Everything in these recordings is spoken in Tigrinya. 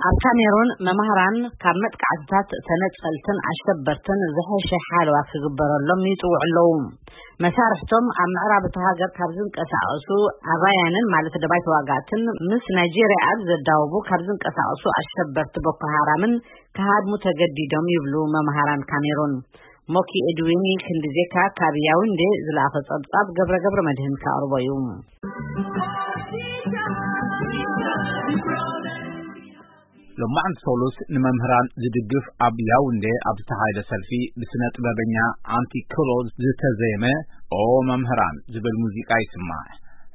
ኣብ ካሜሩን መማህራን ካብ መጥቃዕትታት ተነጸልትን ኣሸበርትን ዝሐሸ ሓለዋ ክግበረሎም ይጽውዑ ኣለዉ። መሳርሕቶም ኣብ ምዕራብ እቲ ሃገር ካብ ዝንቀሳቐሱ ኣባያንን ማለት ደባይ ተዋጋእትን ምስ ናይጄርያ ኣብ ዘዳወቡ ካብ ዝንቀሳቐሱ ኣሸበርቲ ቦኮ ሃራምን ክሃድሙ ተገዲዶም ይብሉ መማህራን ካሜሩን። ሞኪ ኤድዊኒ ክንዲ ዜካ ካብ ያውንዴ ዝለኣኸ ጸብጻብ ገብረ ገብረ መድህን ከቕርቦ እዩ። ሎማዕንቲ ሶሉስ ንመምህራን ዝድግፍ ኣብ ያውንዴ ኣብ ዝተኻየደ ሰልፊ ብስነ ጥበበኛ ኣንቲ ክሎ ዝተዘየመ ኦ መምህራን ዝብል ሙዚቃ ይስማዕ።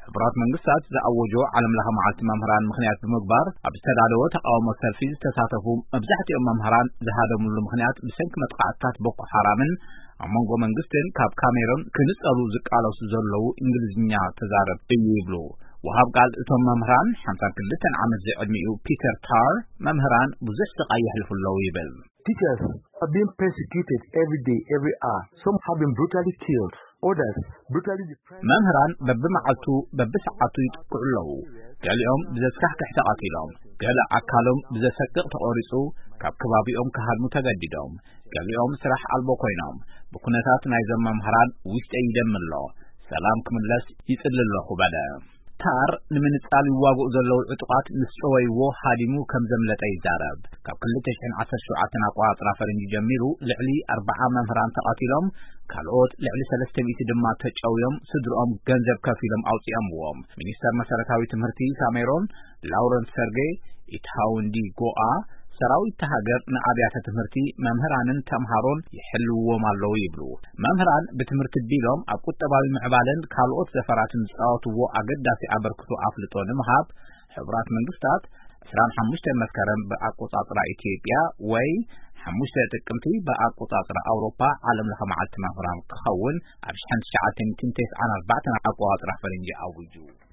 ሕቡራት መንግስታት ዝኣወጆ ዓለም ለኸ መዓልቲ መምህራን ምኽንያት ብምግባር ኣብ ዝተዳለወ ተቃውሞ ሰልፊ ዝተሳተፉ መብዛሕትኦም መምህራን ዝሃደሙሉ ምኽንያት ብሰንኪ መጥቃዕትታት ቦኮ ሓራምን ኣብ መንጎ መንግስትን ካብ ካሜሮን ክንጸሉ ዝቃለሱ ዘለዉ እንግሊዝኛ ተዛረብ እዩ ይብሉ። ወሃብ ቃል እቶም መምህራን ሓምሳን ክልተን ዓመት ዝዕድሚኡ ፒተር ታር መምህራን ብዙሕ ስቃይ የሕልፉ ኣለዉ ይብል። Teachers are being persecuted every day, every hour. Some have been brutally killed, others brutally deprived. መምህራን በብመዓልቱ በብሰዓቱ ይጥቅዑ ኣለዉ። ገሊኦም ብዘስካሕክሕ ተቐቲሎም፣ ገለ ኣካሎም ብዘሰቅቕ ተቖሪጹ፣ ካብ ከባቢኦም ክሃድሙ ተገዲዶም፣ ገሊኦም ስራሕ ኣልቦ ኮይኖም። ብኩነታት ናይዞም መምህራን ውሽጠይ ይደሚ ኣሎ። ሰላም ክምለስ ይጽሊ ኣለኹ በለ። ታር ንምንጻል ይዋግኡ ዘለዉ ዕጡቓት ምስ ጨወይዎ ሃዲሙ ከም ዘምለጠ ይዛረብ። ካብ ክልተ ሽሕን ዓሰርተ ሸውዓተን ኣቆጻጽራ ፈረንጂ ጀሚሩ ልዕሊ ኣርብዓ መምህራን ተቐቲሎም፣ ካልኦት ልዕሊ ሰለስተ ሚእቲ ድማ ተጨውዮም ስድርኦም ገንዘብ ከፊሎም ኣውጺኦምዎም። ሚኒስተር መሰረታዊ ትምህርቲ ካሜሮን ላውረንስ ሰርጌ ኢትሃውንዲ ጎኣ ሰራዊት ሃገር ንኣብያተ ትምህርቲ መምህራንን ተምሃሮን ይሕልውዎም ኣለዉ ይብሉ። መምህራን ብትምህርቲ ቢሎም ኣብ ቁጠባዊ ምዕባለን ካልኦት ዘፈራትን ዝጻወትዎ ኣገዳሲ ኣበርክቶ ኣፍልጦ ንምሃብ ሕቡራት መንግስታት ዕስራን ሓሙሽተን መስከረም ብኣቆጻጽራ ኢትዮጵያ ወይ ሓሙሽተ ጥቅምቲ ብኣቆጻጽራ ኣውሮፓ ዓለም ለኸ መዓልቲ መምህራን ክኸውን ኣብ ሽሕን ትሽዓተ ሚእትን ተስዓን ኣርባዕተን ኣቆጻጽራ ፈረንጂ ኣዊጁ።